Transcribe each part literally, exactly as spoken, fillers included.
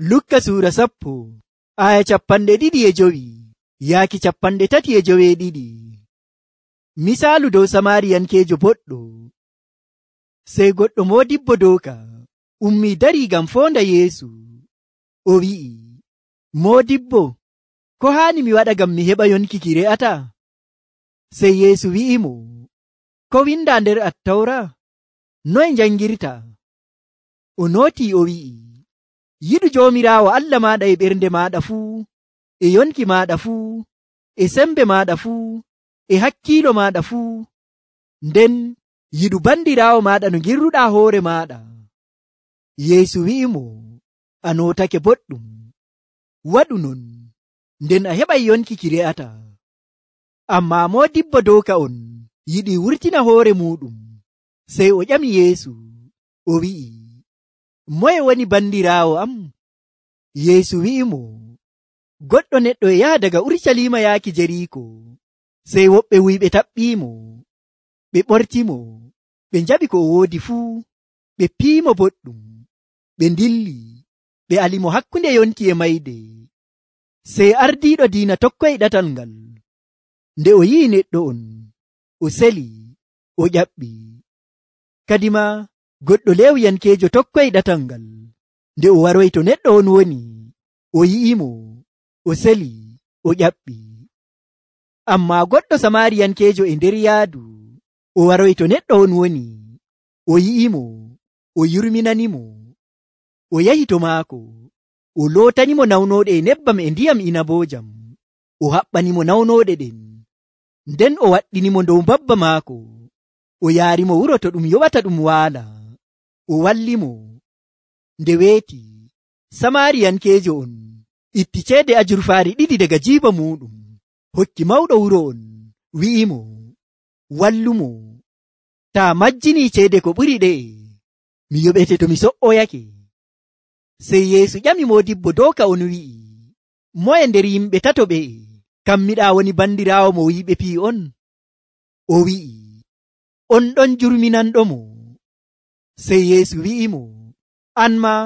Lukka suura sappo aya capanɗe ɗiɗi e jowi yaaki capanɗe tati e joweeɗiɗi. Misaalu dow Samaariyankeejo boɗɗo. Sey goɗɗo moodibbo dooka ummii darii ngam foonda Yeesu. O wi'i, Moodibbo, ko haani mi waɗa ngam mi heɓa yonki ki re'ata? Sey Yeesu wi'imo, ko windaa nder Attawra? Noye njangirta? O nootii o wi'i, yiɗu Joomiraawo Allah maaɗa e ɓernde maaɗa fuu, e yonki maaɗa fuu, e sembe maaɗa fuu, e hakkiilo maaɗa fuu, nden yiɗu bandiraawo maaɗa no ngirruɗaa hoore maaɗa. Yeesu wi'imo, a nootake boɗɗum. Waɗu non, nden a heɓay yonki ki re'ata. Ammaa moodibbo dooka on yiɗi wurtina hoore muuɗum. Sey o ƴami Yeesu, o wi'i, moye woni bandiraawo am? Yeesu wi'imo, goɗɗo neɗɗo e yaha daga Urucaliima yaaki Jeriiko. Sey woɓɓe wuyɓe taɓɓiimo, ɓe ɓortimo, ɓe njaɓi ko o woodi fuu, ɓe piimo boɗɗum, ɓe ndilli, ɓe alimo hakkunde yonki e mayde. Sey ardiiɗo diina tokkoyi ɗatal ngal. Nde o yi'i neɗɗo on, o seli, o ƴaɓɓi. Kadima goɗɗo Leewiyankeejo tokkoyi ɗatal ngal. Nde o waroyi to neɗɗo on woni, o yi'imo, o seli, o ƴaɓɓi. Ammaa goɗɗo Samaariyankeejo e nder yaadu, o waroyi to neɗɗo on woni, o yi'imo, o yurminanimo, o yahi to maako, o lootanimo nawnooɗe e nebbam e ndiyam inaboojam, o haɓɓanimo nawnooɗe ɗen, nden o waɗɗinimo dow mbabba maako, o yaarimo wuro to ɗum yoɓata ɗum waala, o wallimo. Nde weeti, Samaariyankeejo on itti ceede ajurfaari ɗiɗi daga jiiba muuɗum, hokki mawɗo wuro on, wi'imo, wallumo, taa majjinii ceede ko ɓuri ɗe'e, mi yoɓete to mi so''oyake. Sey Yeesu ƴami moodibbo dooka on wi'i, moye nder yimɓe tato ɓe kammiɗaa woni bandiraawo mo wi'iɓe fii on? O wi'i, on ɗon jurminanɗomo. Sey Yeesu wi'imo, an maa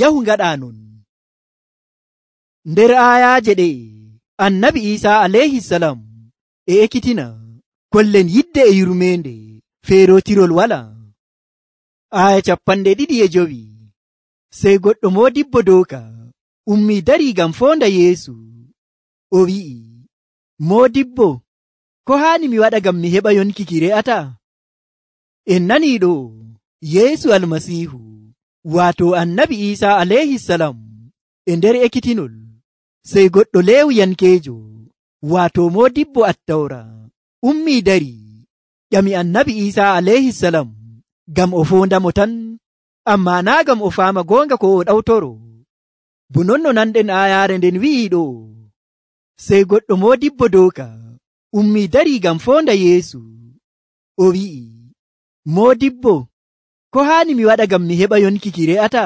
yahu ngaɗaa non. Nder aayaaje ɗe annabi Iisaa alayhisalam e ekkitina kollen yidde e yurmeende, feerootirol walaa. Aaya capanɗe ɗiɗi e jowi. Sey goɗɗo moodibbo dooka ummii darii ngam foonda Yeesu. O wi'i, Moodibbo, ko haani mi waɗa ngam mi heɓa yonki ki re'ata? En nanii ɗo Yeesu Almasiihu, waato annabi Iisaa alayhisalam e nder ekkitinol. Sey goɗɗo Leewiyankeejo, waato moodibbo Attawra, ummii darii ƴami annabi Iisaa alayhisalam ngam o foondamo tan, ammaa naa ngam o faama goonga ko o ɗawtoro. Bo non no nanɗen aayaare nden wi'i ɗo. Sey goɗɗo moodibbo dooka ummii darii ngam foonda Yeesu. O wi'i, Moodibbo, ko haani mi waɗa ngam mi heɓa yonki ki re'ata?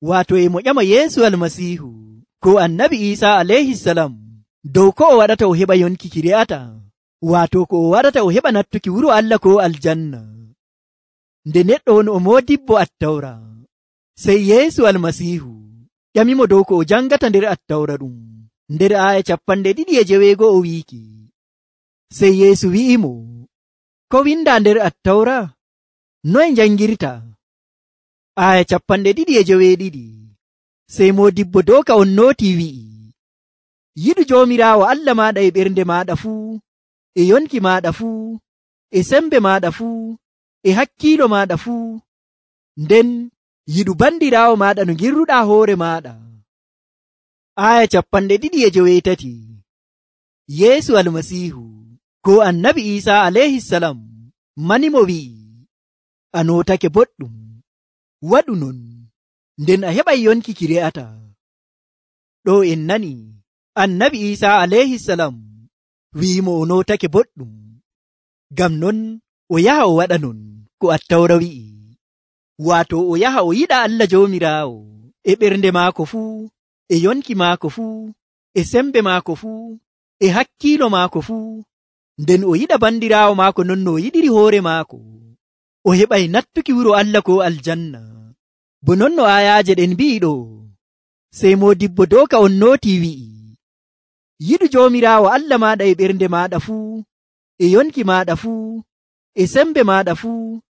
Waato e mo ƴama Yeesu Almasiihu ko annabi Iisaa alayhisalam dow ko o waɗata o heɓa yonki ki re'ata, waato ko o waɗata o heɓa nattuki wuro Allah ko aljanna. Nde neɗɗo on o moodibbo Attawra, sey Yeesu Almasiihu ƴamimo dow ko o jangata nder Attawra ɗum. Nder aaya capanɗe ɗiɗi e jeweego o wiiki, sey Yeesu wi'imo, ko windaa nder Attawra? Noye njangirta? Aaya capanɗe ɗiɗi e joweeɗiɗi. Sey moodibbo dooka on nootii wi'i, yiɗu Joomiraawo Allah maaɗa e ɓernde maaɗa fuu, e yonki maaɗa fuu, e sembe maaɗa fuu, e hakkiilo maaɗa fuu, nden yiɗu bandiraawo maaɗa no ngirruɗaa hoore maaɗa. Aaya capanɗe ɗiɗi e joweetati. Yeesu Almasiihu ko annabi Iisaa alayhisalam manimo wi'i, a nootake boɗɗum. Waɗu non, nden a heɓay yonki ki re'ata. Ɗo en nani annabi Iisaa alayhisalam wi'imo o nootake boɗɗum. Ngam non o yaha o waɗa non ko Attawra wi'i, waato o yaha o yiɗa Allah Joomiraawo e ɓernde maako fuu, e yonki maako fuu, e sembe maako fuu, e hakkiilo maako fuu, nden o yiɗa bandiraawo maako non no o yiɗiri hoore maako, o heɓay nattuki wuro Allah ko aljanna. bo non no ayaaje ɗen mbi'iɗo. Sey modibbo doka on nooti wi'i, yiɗu Joomiraawo Allah maɗa e ɓernde maɗa fuu, e yonki maɗa fuu, e sembe maɗa fuu,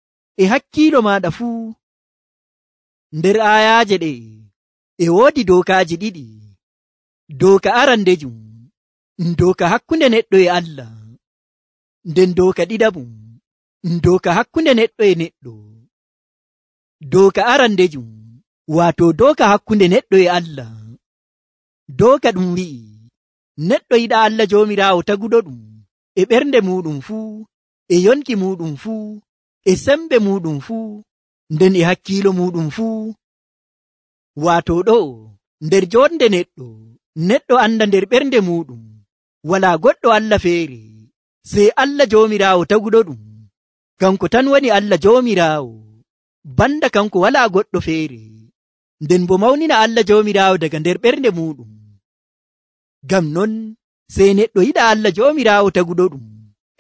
e hakkiilo maɗa fuu. Nder ayaaje ɗe e woodi dokaaji ɗiɗi. Doka arandejum doka hakkunde neɗɗo e Allah, nden doka ɗiɗaɓum doka hakkunde neɗɗo e neɗɗo. Doka arandejum wato doka hakkunde neɗɗo e Allah. Doka ɗum wi'i neɗɗo yiɗa Allah Joomiraawo taguɗo ɗum e ɓernde muɗum fuu, e yonki muɗum fuu, e sembe muɗum fuu, nden e hakkiilo muɗum fuu. Wato ɗo nder jonde neɗɗo, neɗɗo anda nder ɓernde muɗum wala goɗɗo Allah feere sey Allah Joomiraawo taguɗo ɗum. Kanko tan woni Allah Joomiraawo, banda kanko wala goɗɗo feere. Nden bo mawnina Allah Joomiraawo daga nder ɓernde muɗum. Ngam non sey neɗɗo yiɗa Allah Joomiraawo taguɗo ɗum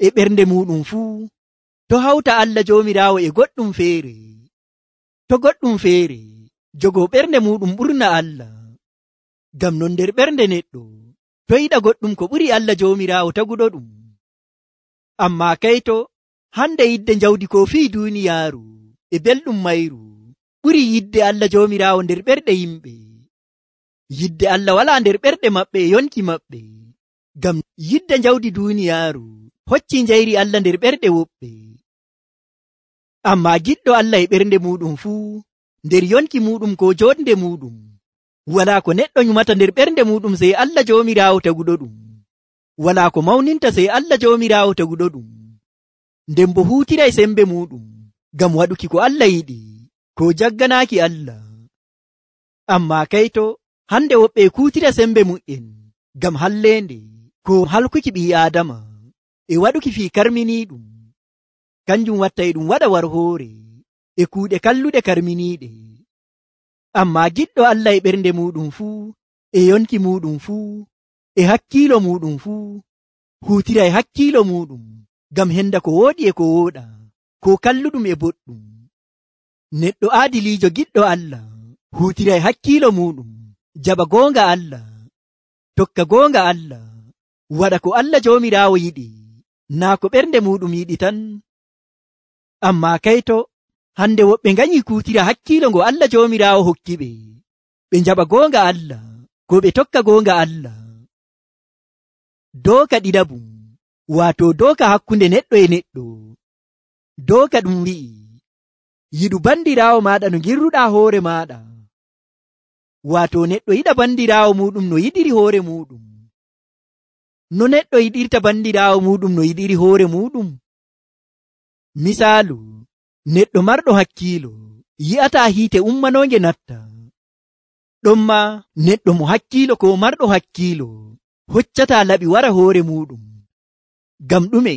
e ɓernde muɗum fuu, to hawta Allah Joomiraawo e goɗɗum feere. To goɗɗum feere jogo ɓernde muɗum ɓurna Allah. Ngam non nder ɓernde neɗɗo to yiɗa goɗɗum ko ɓuri Allah Joomiraawo taguɗo ɗum. Amma kayto hande yidde jawdi ko fii duuniyaaru e belɗum mayru ɓuri yidde Allah Joomiraawo nder ɓerɗe yimɓe. Yidde Allah wala nder ɓerɗe maɓɓe e yonki maɓɓe. Ngam yidde jawdi duuniyaaru hocci njayri Allah nder ɓerɗe woɓɓe. Amma giɗɗo Allah e ɓernde muɗum fuu, nder yonki muɗum ko jonde muɗum, wala ko neɗɗo nyumata nder ɓernde muɗum sey Allah Joomiraawo taguɗo ɗum. Wala ko mawninta sey Allah Joomiraawo taguɗo ɗum. Nden bo huutiray sembe muɗum ngam waɗuki ko Allah yiɗi, ko jagganaaki Allah. Amma kayto hande woɓɓe kuutira sembe mu'en ngam halleende, ko halkuki ɓii Aadama e waɗuki fii karminiiɗum. Kanjum watta e ɗum waɗa war hoore e kuuɗe kalluɗe karminiiɗe. Amma giɗɗo Allah e ɓernde muɗum fuu, e yonki muɗum fuu, e hakkiilo muɗum fuu, huutira e hakkiilo muɗum ngam henda ko wooɗi e ko wooɗa, ko kalluɗum e boɗɗum. Neɗɗo aadiliijo giɗɗo Allah huutira e hakkiilo muɗum, jaɓa goonga Allah, tokka goonga Allah, waɗa ko Allah Joomiraawo yiɗi, naa ko ɓernde muɗum yiɗi tan. Amma kayto hande woɓɓe ngañi kuutira hakkiilo ngo Allah Joomiraawo hokki ɓe, ɓe jaɓa goonga Allah, ko ɓe tokka goonga Allah. Dooka ɗiɗaɓum wato dooka hakkunde neɗɗo e neɗɗo. Dooka ɗum wi'i yiɗu bandiraawo maɗa no girruɗaa hoore maɗa. Wato neɗɗo yiɗa bandiraawo muɗum no yiɗiri hoore muɗum. No neɗɗo yiɗirta bandiraawo muɗum no yiɗiri hoore muɗum? Misaalu, neɗɗo marɗo hakkiilo yi'ata hiite ummanonge natta. Ɗonma neɗɗo mo hakkiilo ko marɗo hakkiilo hoccata laɓi wara hoore muɗum. Gam ɗume?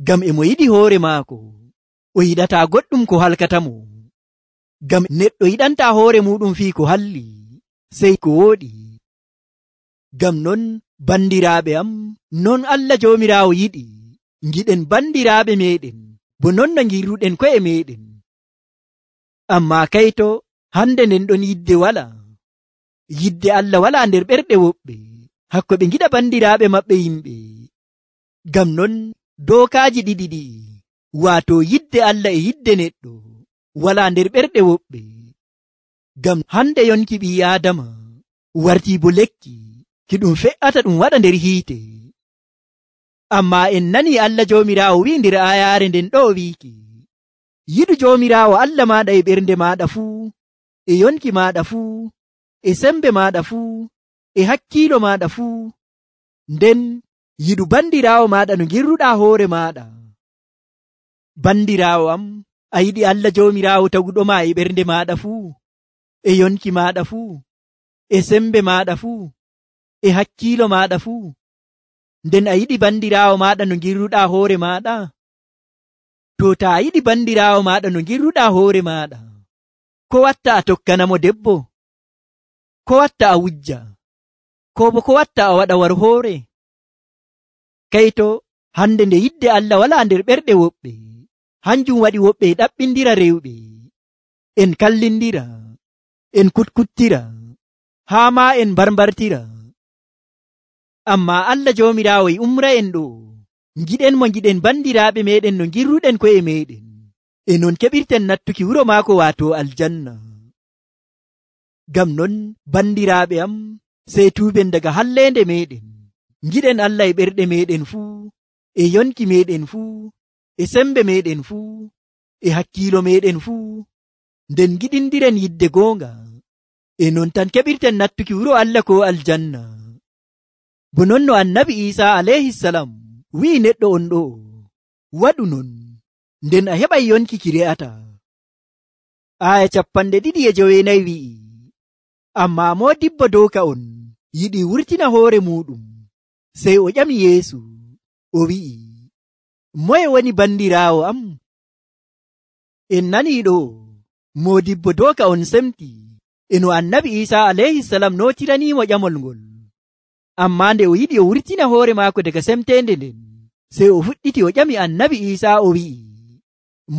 Gam e mo yiɗi hoore maako, o yiɗata goɗɗum ko halkatamo. Gam neɗɗo yiɗanta hoore muɗum fii ko halli, sey ko wooɗi. Gam non bandiraaɓe am, non Allah Joomiraawo yiɗi ngiɗen bandiraaɓe meɗen bo non no ngirruɗen ko'e meɗen. Amma kayto hande nden ɗon yidde wala. Yidde Allah wala nder ɓerɗe woɓɓe hakko ɓe ngiɗa bandiraaɓe maɓɓe yimɓe. Gam non dookaaji ɗiɗi ɗi, wato yidde Allah e yidde neɗɗo wala nder ɓerɗe woɓɓe. Gam hande yonki ɓii Aadama wartii bo lekki ki ɗum fe'ata ɗum waɗa nder hiite. Amma en nani Allah Joomiraawo wi'i nder ayaare nden ɗo wiiki, yiɗu Joomiraawo Allah maɗa e ɓernde maɗa fuu, e yonki maɗa fuu, e sembe maɗa fuu, e hakkiilo maɗa fuu, nden yiɗu bandiraawo maɗa no girruɗaa hoore maɗa. Bandiraawo am, a yiɗi Allah Joomiraawo taguɗo ma e ɓernde maɗa fuu, e yonki maɗa fuu, e sembe maɗa fuu, e hakkiilo maɗa fuu, nden a yiɗi bandiraawo maɗa no girruɗaa hoore maɗa? To ta a yiɗi bandiraawo maɗa no girruɗaa hoore maɗa, ko watta a tokkanamo debbo? Ko watta a wujja? Ko bo ko watta a waɗa war hoore? Kayto hande nde yidde Allah wala nder ɓerɗe woɓɓe, hanjum waɗi woɓɓe ɗaɓɓindira rewɓe, en kallindira, en kutkuttira, haa maa en barbartira. Ammaa Allah Joomiraawo e umra en ɗo, giɗen mo giɗen bandiraaɓe meɗen no girruɗen ko'e meɗen, e non keɓirten nattuki wuro maako waato aljanna. Ngam non bandiraaɓe am, sey tuuben daga halleende meɗen, giɗen Allah e ɓerɗe meɗen fuu, e yonki meɗen fuu, e sembe meɗen fuu, e hakkiilo meɗen fuu, nden giɗindiren yidde goonga, e non tan keɓirten nattuki wuro Allah ko aljanna. Bo non no annabi Iisaa alayhisalam wi'i neɗɗo on ɗo, waɗu non, nden a heɓay yonki ki re'ata. Aaya capanɗe ɗiɗi e joweenayi wi'i, ammaa moodibbo dooka on yiɗi wurtina hoore muuɗum, sey o ƴami Yeesu, o wi'i, moye woni bandiraawo am? En nanii ɗo, moodibbo dooka on semti e no annabi Iisaa alayhisalam nootiraniimo ƴamol ngol. Ammaa nde o yiɗi o wurtina hoore maako daga semteende nden, sey o fuɗɗiti o ƴami annabi Iisaa o wi'i,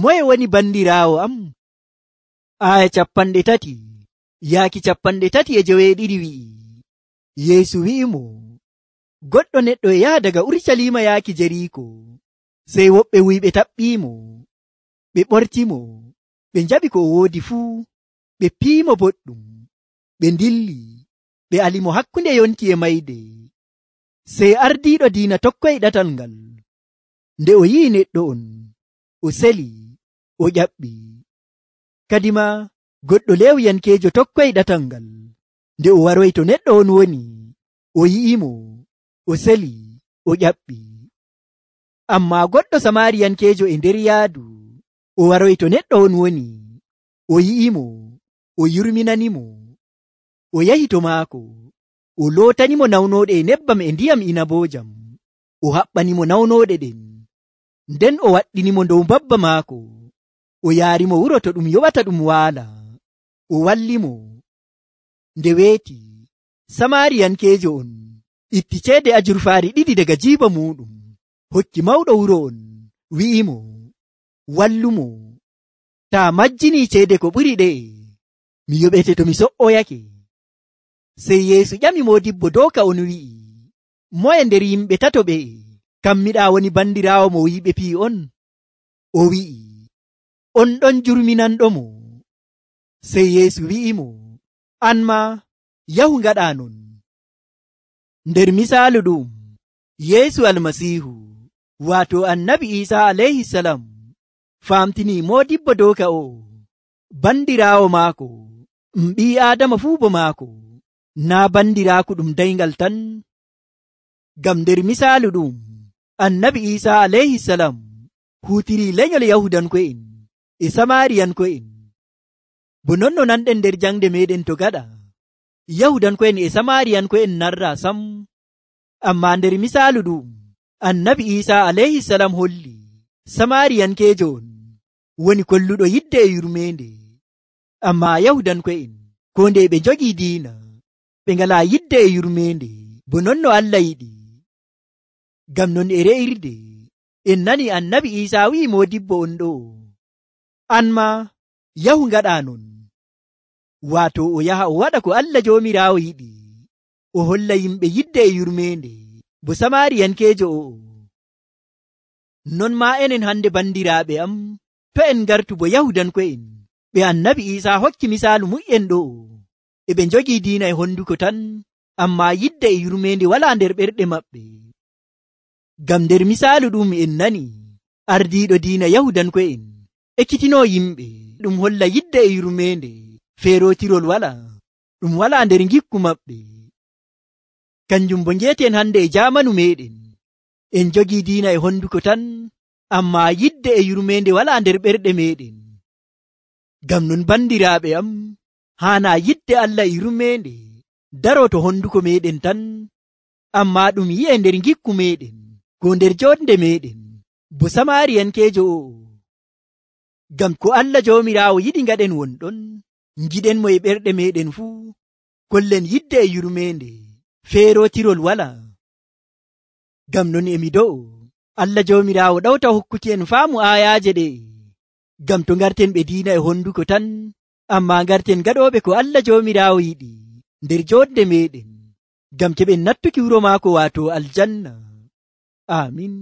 moye woni bandiraawo am? Aaya capanɗe tati yaaki capanɗe tati e joweeɗiɗi wi'i, Yeesu wi'imo, goɗɗo neɗɗo e yaha daga Urucaliima yaaki Jeriiko, sey woɓɓe wuyɓe taɓɓiimo, ɓe ɓortimo, ɓe njaɓi ko o woodi fuu, ɓe piimo boɗɗum, ɓe ndilli, ɓe alimo hakkunde yonki e mayde. Sey ardiiɗo diina tokkoyi ɗatal ngal, nde o yi'i neɗɗo on, o seli, o ƴaɓɓi. Kadima goɗɗo Lewiyankeejo tokkoyi ɗatal ngal, nde o waroyi to neɗɗo on woni, o yi'imo, o seli, o ƴaɓɓi. Ammaa goɗɗo Samariyankeejo e nder yaadu, o waroyi to neɗɗo on woni, o yi'imo, o yurminanimo, o yahi to maako, o lootanimo nawnooɗe e nebbam e ndiyam inaboojam, o haɓɓanimo nawnooɗe ɗen, nden o waɗɗinimo dow mbabba maako, o yaarimo wuro to ɗum yoɓata ɗum waala, o wallimo. Nde weeti, Samariyankeejo on itti ceede ajurfaari ɗiɗi daga jiiba muuɗum, hokki mawɗo wuro on, wi'imo, wallumo, taa majjinii ceede ko ɓuri ɗe'e, mi yoɓete to mi so'oyake. Sey Yeesu ƴami moodibbo dooka on wi'i, moye nder yimɓe tato ɓe'e kammiɗaa woni bandiraawo mo wi'iɓe pii on? O wi'i, on ɗon jurminanɗomo. Sey Yeesu wi'imo, an maa yahu ngaɗaa non. Nder misaalu ɗum, Yeesu Almasiihu, waato annabi Iisaa alayhisalam, faamtinii moodibbo dooka o, bandiraawo maako, ɗum ɓii Aadama fuu bo maako, naa bandiraaku ɗum dayngal tan. Ngam nder misaalu ɗum, annabi Iisaa alayhisalam huutirii lenyol Yahudanko'en e Samariyanko'en. Bo non no nanɗen nder jangde meɗen to gaɗa, Yahudanko'en e Samariyanko'en narraa sam. Ammaa nder misaalu ɗum, annabi Iisaa alayhisalam holli Samariyankeejo on woni kolluɗo yidde e yurmeende. Ammaa Yahudanko'en, ko nde ɓe njogii diina, ɓe ngalaa yidde e yurmeende, bo non no Allah yiɗi. Ngam non e re'irde, en nani annabi Iisaa wi'i moodibbo on ɗo, an maa yahu ngaɗaa non. Waato o yaha o waɗa ko Allah Joomiraawo yiɗi, o holla yimɓe yidde e yurmeende, bo Samariyankeejo o'o. Non maa enen hande bandiraaɓe am, to en ngartu bo Yahudanko'en, ɓe annabi Iisaa hokki misaalu mu'en ɗo, e ɓe njogii diina e honduko tan, ammaa yidde e yurmeende walaa nder ɓerɗe maɓɓe. Ngam nder misaalu ɗum en nani, ardiiɗo diina Yahudanko'en ekkitinoo yimɓe, ɗum holla yidde e yurmeende, feerootirol walaa, ɗum walaa nder ngikku maɓɓe. Kanjum bo ngeeten hande e jaamanu meɗen, en jogii diina e honduko tan, ammaa yidde e yurmeende walaa nder ɓerɗe meɗen. Ngam non bandiraaɓe am, haanaa yidde Allah e yurmeende daroo to honduko meɗen tan, ammaa ɗum yi'e nder ngikku meɗen, ko nder jonde meɗen, bo Samariyankeejo o'o. Ngam ko Allah Joomiraawo yiɗi ngaɗen wonɗon, ngiɗen mo e ɓerɗe meɗen fuu, kollen yidde e yurmeende, feerootirol walaa. Ngam non emi do'o, Allah Joomiraawo ɗawta hokkuki en faamu aayaaje ɗe, ngam to ngarten ɓe diina e honduko tan, Ammaa ngarten gaɗooɓe ko Allah Joomiraawo yiɗi nder joodde meeɗen, ngam keɓen nattuki wuro maako waato aljanna. Aamin.